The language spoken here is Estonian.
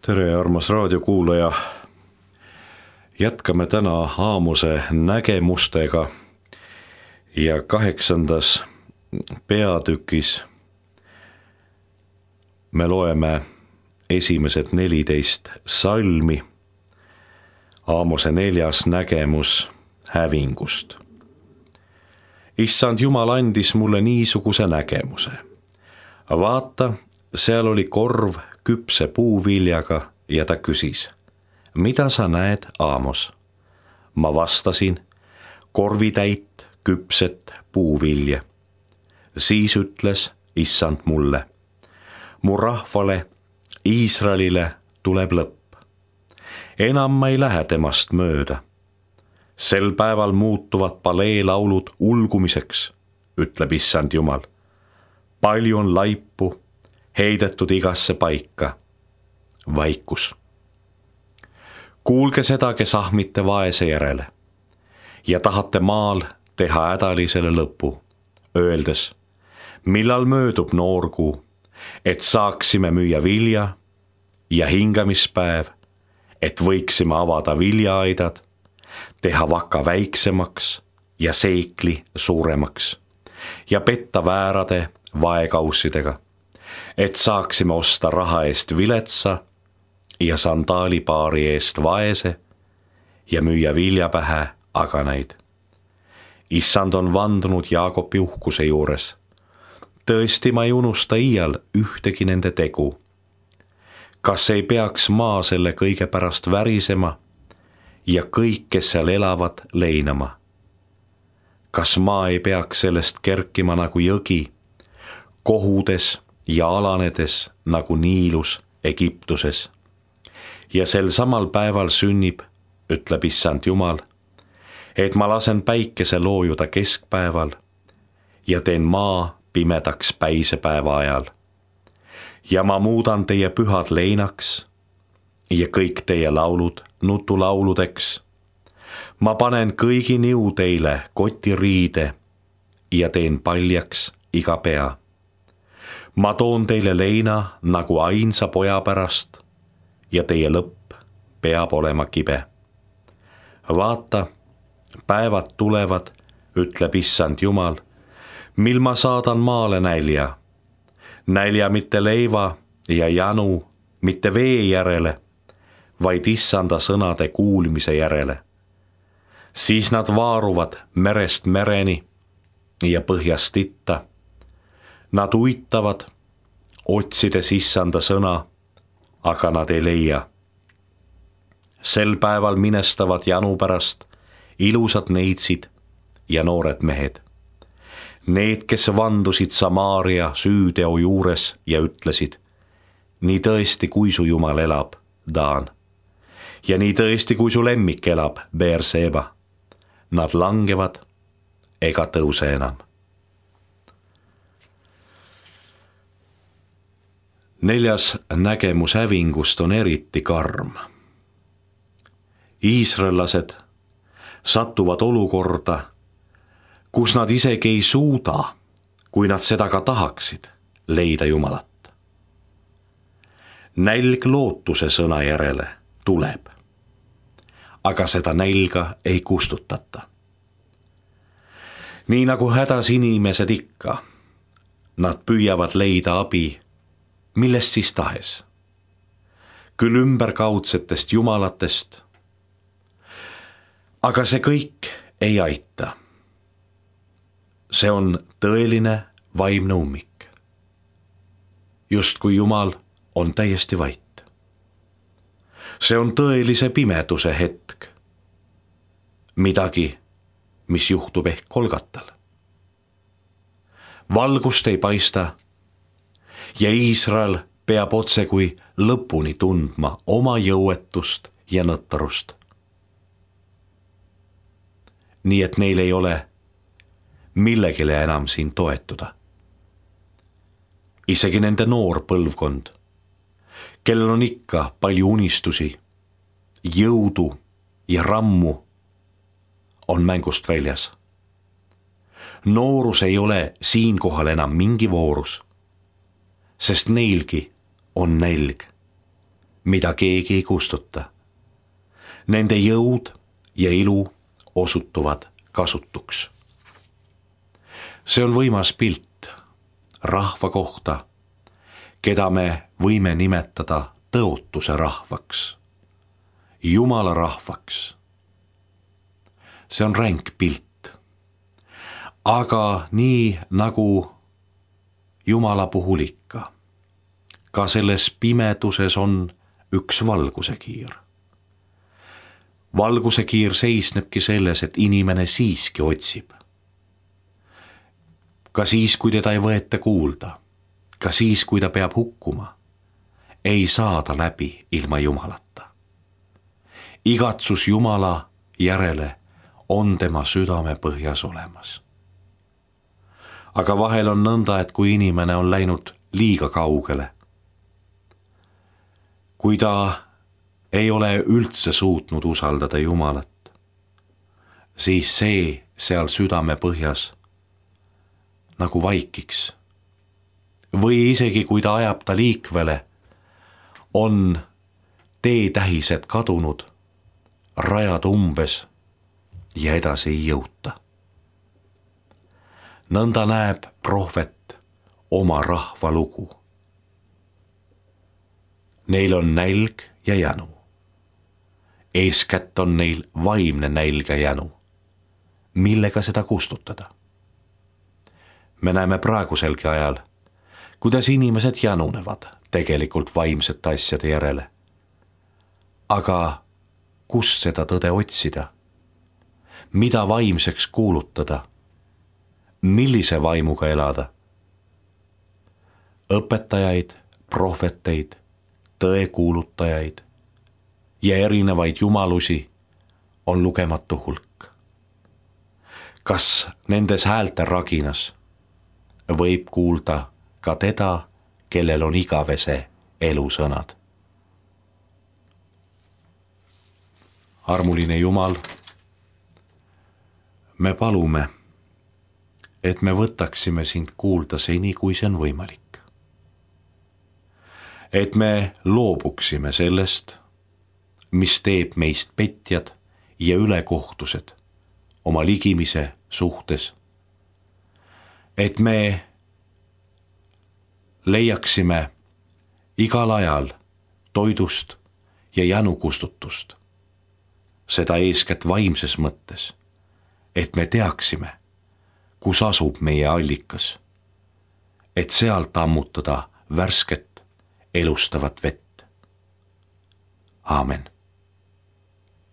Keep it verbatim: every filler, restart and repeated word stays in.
Tere, armas raadiokuulaja. Jätkame täna Aamose nägemustega ja kaheksandas peatükis me loeme esimesed neliteist salmi. Aamose neljas nägemus hävingust. Issand Jumal andis mulle niisuguse nägemuse. Vaata, seal oli korv küpse puuviljaga ja ta küsis, mida sa näed, Aamos? Ma vastasin, korvitäit küpset puuvilja. Siis ütles Issand mulle, mu rahvale, Iisraelile tuleb lõpp. Enam ma ei lähe temast mööda. Sel päeval muutuvad paleelaulud ulgumiseks, ütleb Issand Jumal. Palju on laipu, heidetud igasse paika. Vaikus. Kuulge seda, kes ahmite vaese järele ja tahate maal teha hädalisele lõpu, öeldes, millal möödub noorkuu, et saaksime müüa vilja ja hingamispäev, et võiksime avada viljaaidad, teha vaka väiksemaks ja seikli suuremaks ja petta väärade vaekaussidega, et saaksime osta raha eest viletsa ja sandaalipaari eest vaese ja müüa vilja pähe aganaid. Issand on vandunud Jaakobi uhkuse juures. Tõesti, ma ei unusta iial ühtegi nende tegu. Kas ei peaks maa selle kõige pärast värisema ja kõik, kes seal elavad, leinama? Kas maa ei peaks sellest kerkima nagu jõgi, kohudes ja alanedes nagu Niilus Egiptuses? Ja sel samal päeval sünnib, ütleb Issand Jumal, et ma lasen päikese loojuda keskpäeval ja teen maa pimedaks päisepäeva ajal. Ja ma muudan teie pühad leinaks ja kõik teie laulud nutulauludeks. Ma panen kõigi niu teile kotiriide ja teen paljaks iga pea. Ma toon teile leina nagu ainsa poja pärast ja teie lõpp peab olema kibe. Vaata, päevad tulevad, ütleb Issand Jumal, mil ma saadan maale nälja. Nälja mitte leiva ja janu, mitte vee järele, vaid Issanda sõnade kuulmise järele. Siis nad vaaruvad merest mereni ja põhjast itta. Nad uitavad, otsides Issanda sõna, aga nad ei leia. Sel päeval minestavad janu pärast ilusad neitsid ja noored mehed. Need, kes vandusid Samaaria süüteo juures ja ütlesid, nii tõesti, kui su Jumal elab, Daan, ja nii tõesti, kui su lemmik elab, Beerseba, nad langevad ega tõuse enam. Neljas nägemus hävingust on eriti karm. Iisraellased satuvad olukorda, kus nad isegi ei suuda, kui nad seda ka tahaksid, leida Jumalat. Nälg lootuse sõna järele tuleb, aga seda nälga ei kustutata. Nii nagu hädas inimesed ikka, nad püüavad leida abi, millest siis tahes. Küll ümberkaudsetest jumalatest, aga see kõik ei aita. See on tõeline vaimne ummik. Just kui Jumal on täiesti vait. See on tõelise pimeduse hetk. Midagi, mis juhtub ehk Kolgatal. Valgust ei paista ja Iisrael peab otse kui lõpuni tundma oma jõuetust ja nõttarust. Nii et neil ei ole millegile enam siin toetuda. Isegi nende noor põlvkond, kellel on ikka palju unistusi, jõudu ja rammu, on mängust väljas. Noorus ei ole siinkohal enam mingi voorus, sest neilgi on nälg. mida keegi ei kustuta. Nende jõud ja ilu osutuvad kasutuks. See on võimas pilt rahva kohta, keda me võime nimetada tõotuse rahvaks, Jumala rahvaks. See on ränk pilt, aga nii nagu Jumala puhul ikka, ka selles pimeduses on üks valgusekiir. Valgusekiir seisnebki selles, et inimene siiski otsib. Ka siis, kui teda ei võeta kuulda, ka siis, kui ta peab hukkuma, ei saa ta läbi ilma Jumalata. Igatsus Jumala järele on tema südame põhjas olemas. Aga vahel on nõnda, et kui inimene on läinud liiga kaugele, kui ta ei ole üldse suutnud usaldada Jumalat, siis see seal südame põhjas nagu vaikiks. Või isegi kui ta ajab ta liikvele, on teetähised kadunud, rajad umbes ja edasi ei jõuta. Nõnda näeb prohvet oma rahva lugu. Neil on nälg ja jänu. Eeskätt on neil vaimne nälg ja jänu. Millega seda kustutada? Me näeme praeguselgi ajal, kuidas inimesed janunevad tegelikult vaimsete asjade järele. Aga kus seda tõde otsida? Mida vaimseks kuulutada? Millise vaimuga elada? Õpetajaid, prohveteid, tõekuulutajaid ja erinevaid jumalusi on lugematu hulk. Kas nendes häälte raginas võib kuulda ka teda, kellel on igavese elusõnad? Armuline Jumal, me palume, et me võtaksime sind kuulda seni, kui see on võimalik. Et me loobuksime sellest, mis teeb meist petjad ja ülekohtused oma ligimise suhtes. Et me leiaksime igal ajal toidust ja janukustutust, seda eeskätt vaimses mõttes, et me teaksime, kus asub meie allikas, et sealt ammutada värsket elustavat vett. Aamen.